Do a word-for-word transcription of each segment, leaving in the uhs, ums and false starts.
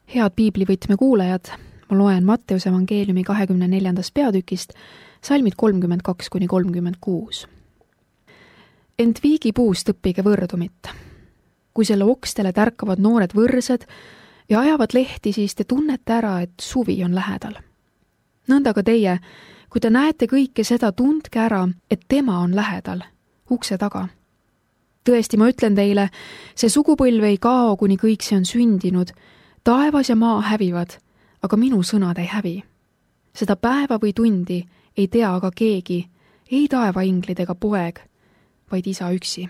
Head piiblivõtme kuulajad, ma loen Matteuse evangeeliumi kahekümne neljandast peatükist salmid kolmkümmend kaks kuni kolmkümmend kuus. Ent viigipuust õppige võrdumit. Kui selle okstele tärkavad noored võrsed ja ajavad lehti, siis te tunnete ära, et suvi on lähedal. Nõnda ka teie, kui te näete kõike seda, tundke ära, et tema on lähedal, ukse taga. Tõesti, ma ütlen teile, see sugupõlv ei kao, kuni kõik see on sündinud. Taevas ja maa hävivad, aga minu sõnad ei hävi. Seda päeva või tundi ei tea aga keegi, ei taevainglid ega poeg, vaid isa üksi.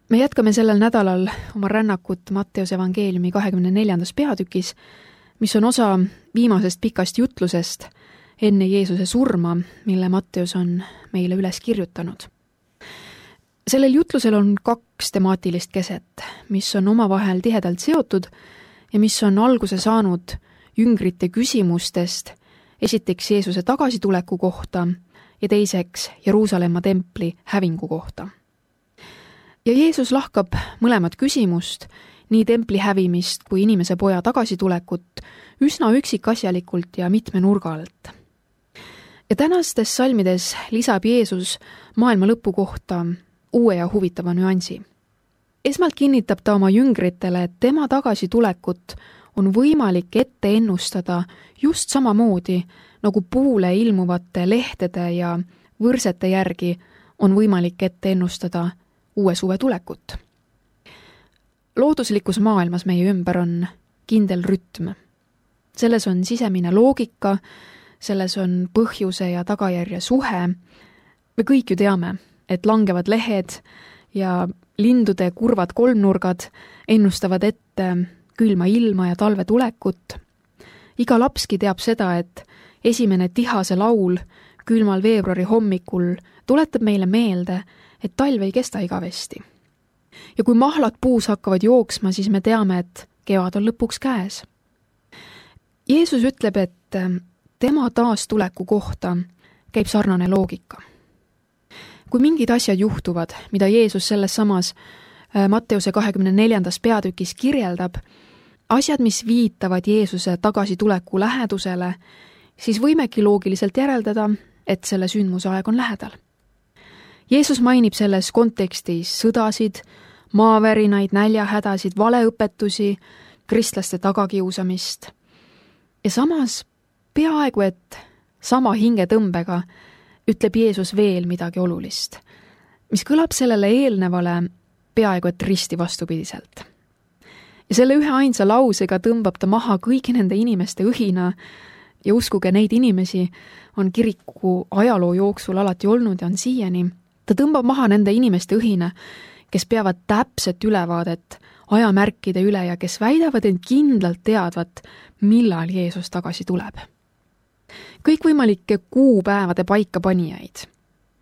Me jätkame sellel nädalal oma rännakut Matteuse evangeeliumi kahekümne neljandas peatükis, mis on osa viimasest pikast jutlusest enne Jeesuse surma, mille Matteus on meile üles kirjutanud. Sellel jutlusel on kaks temaatilist keset, mis on omavahel tihedalt seotud ja mis on alguse saanud jüngrite küsimustest, esiteks Jeesuse tagasituleku kohta ja teiseks Jeruusalemma templi hävingu kohta. Ja Jeesus lahkab mõlemat küsimust, nii templi hävimist kui inimese poja tagasitulekut, üsna üksikasjalikult ja mitme nurga alt. Ja tänastes salmides lisab Jeesus maailma lõpu kohta uue ja huvitava nüansi. Esmalt kinnitab ta oma jüngritele, et tema tagasitulekut on võimalik ette ennustada just samamoodi, nagu puule ilmuvate lehtede ja võrsete järgi on võimalik ette ennustada uue suve tulekut. Looduslikus maailmas meie ümber on kindel rütm. Selles on sisemine loogika, selles on põhjuse ja tagajärje suhe. Me kõik ju teame, et langevad lehed ja lindude kurvad kolmnurgad ennustavad ette külma ilma ja talve tulekut. Iga lapski teab seda, et esimene tihase laul külmal veebruari hommikul tuletab meile meelde, et talv ei kesta igavesti. Ja kui mahlad puus hakkavad jooksma, siis me teame, et kevad on lõpuks käes. Jeesus ütleb, et tema taastuleku kohta käib sarnane loogika. Kui mingid asjad juhtuvad, mida Jeesus selles samas Matteuse kahekümne neljandas peatükis kirjeldab, asjad, mis viitavad Jeesuse tagasituleku lähedusele, siis võimegi loogiliselt järeldada, et selle sündmuse aeg on lähedal. Jeesus mainib selles kontekstis sõdasid, maavärinaid, näljahädasid, valeõpetusi, kristlaste tagakiusamist. Ja samas peaaegu, et sama hingetõmbega ütleb Jeesus veel midagi olulist, mis kõlab sellele eelnevale peaaegu et risti vastupidiselt. Ja selle ühe ainsa lausega tõmbab ta maha kõigi nende inimeste õhina ja uskuge, neid inimesi on kiriku ajaloo jooksul alati olnud ja on siiani. Ta tõmbab maha nende inimeste õhina, kes peavad täpset ülevaadet ajamärkide üle ja kes väidavad end kindlalt teadvat, millal Jeesus tagasi tuleb. Kõikvõimalikke kuupäevade paikapanijaid,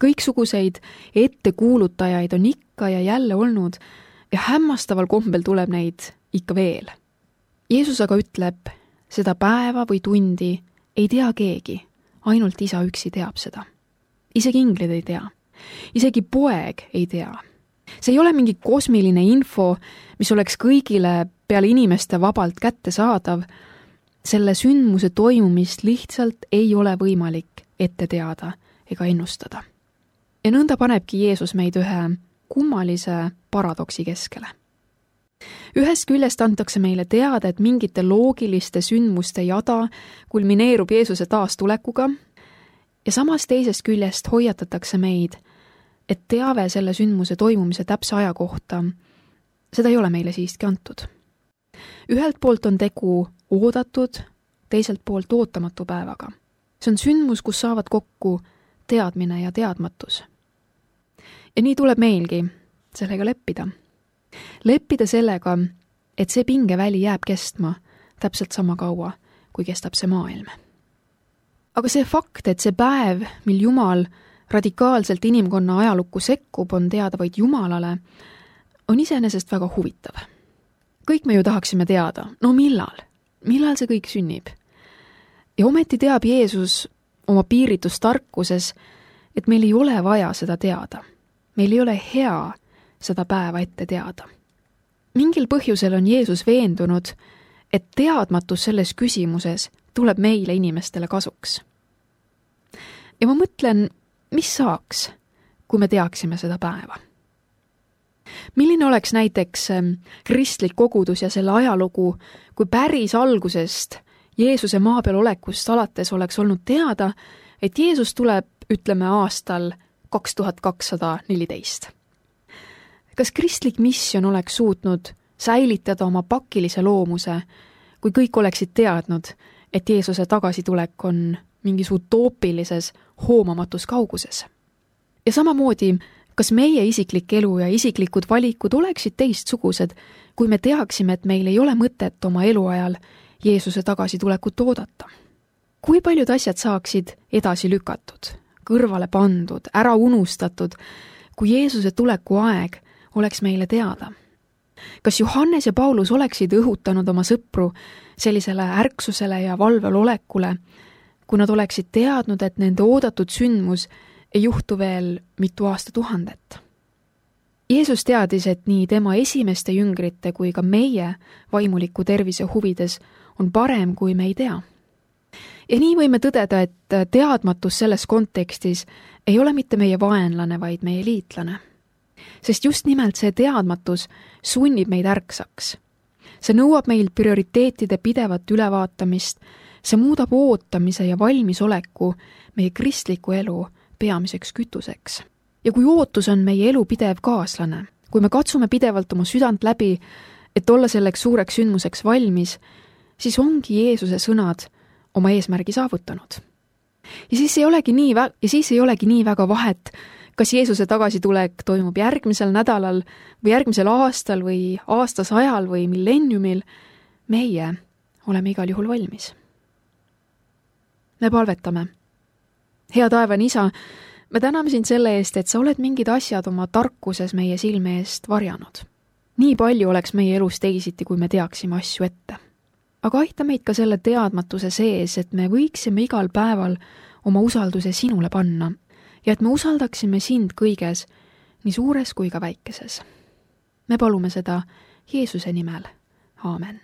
kõiksuguseid ettekuulutajaid on ikka ja jälle olnud ja hämmastaval kombel tuleb neid ikka veel. Jeesus aga ütleb, seda päeva või tundi ei tea keegi, ainult isa üksi teab seda. Isegi inglid ei tea, isegi poeg ei tea. See ei ole mingi kosmiline info, mis oleks kõigile peale inimeste vabalt kätte saadav. Selle sündmuse toimumist lihtsalt ei ole võimalik ette teada ega ennustada. Ja nõnda panebki Jeesus meid ühe kummalise paradoksi keskele. Ühest küljest antakse meile teada, et mingite loogiliste sündmuste jada kulmineerub Jeesuse taastulekuga ja samas teisest küljest hoiatatakse meid, et teave selle sündmuse toimumise täpse aja kohta, seda ei ole meile siiski antud. Ühelt poolt on tegu oodatud, teiselt poolt ootamatu päevaga. See on sündmus, kus saavad kokku teadmine ja teadmatus. Ja nii tuleb meilgi sellega leppida. Leppida sellega, et see pingeväli jääb kestma täpselt sama kaua, kui kestab see maailm. Aga see fakt, et see päev, mil Jumal radikaalselt inimkonna ajalukku sekkub, on teada vaid Jumalale, on iseenesest väga huvitav. Kõik me ju tahaksime teada, no millal? Millal see kõik sünnib? Ja ometi teab Jeesus oma piiritus tarkuses, et meil ei ole vaja seda teada. Meil ei ole hea seda päeva ette teada. Mingil põhjusel on Jeesus veendunud, et teadmatus selles küsimuses tuleb meile inimestele kasuks. Ja ma mõtlen, mis saaks, kui me teaksime seda päeva? Milline oleks näiteks kristlik kogudus ja selle ajalugu, kui päris algusest Jeesuse maa peal olekust alates oleks olnud teada, et Jeesus tuleb, ütleme, aastal kaks tuhat kakssada neliteist. Kas kristlik missioon oleks suutnud säilitada oma pakilise loomuse, kui kõik oleksid teadnud, et Jeesuse tagasitulek on mingis utoopilises hoomamatus kauguses? Ja samamoodi, kas meie isiklik elu ja isiklikud valikud oleksid teistsugused, kui me teaksime, et meil ei ole mõtet oma eluajal Jeesuse tagasitulekut oodata? Kui paljud asjad saaksid edasi lükatud, kõrvale pandud, ära unustatud, kui Jeesuse tuleku aeg oleks meile teada? Kas Johannes ja Paulus oleksid õhutanud oma sõpru sellisele ärksusele ja valvel olekule, kui nad oleksid teadnud, et nende oodatud sündmus ei juhtu veel mitu aastatuhandet? Jeesus teadis, et nii tema esimeste jüngrite kui ka meie vaimuliku tervise huvides on parem, kui me ei tea. Ja nii võime tõdeda, et teadmatus selles kontekstis ei ole mitte meie vaenlane, vaid meie liitlane. Sest just nimelt see teadmatus sunnib meid ärksaks. See nõuab meil prioriteetide pidevat ülevaatamist, see muudab ootamise ja valmisoleku meie kristliku elu peamiseks kütuseks. Ja kui ootus on meie elu pidev kaaslane, kui me katsume pidevalt oma südant läbi, et olla selleks suureks sündmuseks valmis, siis ongi Jeesuse sõnad oma eesmärgi saavutanud. Ja siis ei olegi nii, vä- ja siis ei olegi nii väga vahet, kas Jeesuse tagasitulek toimub järgmisel nädalal või järgmisel aastal või aastasajal või millenniumil, meie oleme igal juhul valmis. Me palvetame. Hea taevane isa, me täname sind selle eest, et sa oled mingid asjad oma tarkuses meie silme eest varjanud. Nii palju oleks meie elus teisiti, kui me teaksime asju ette. Aga aita meid ka selle teadmatuse sees, et me võiksime igal päeval oma usalduse sinule panna ja et me usaldaksime sind kõiges, nii suures kui ka väikeses. Me palume seda Jeesuse nimel. Aamen.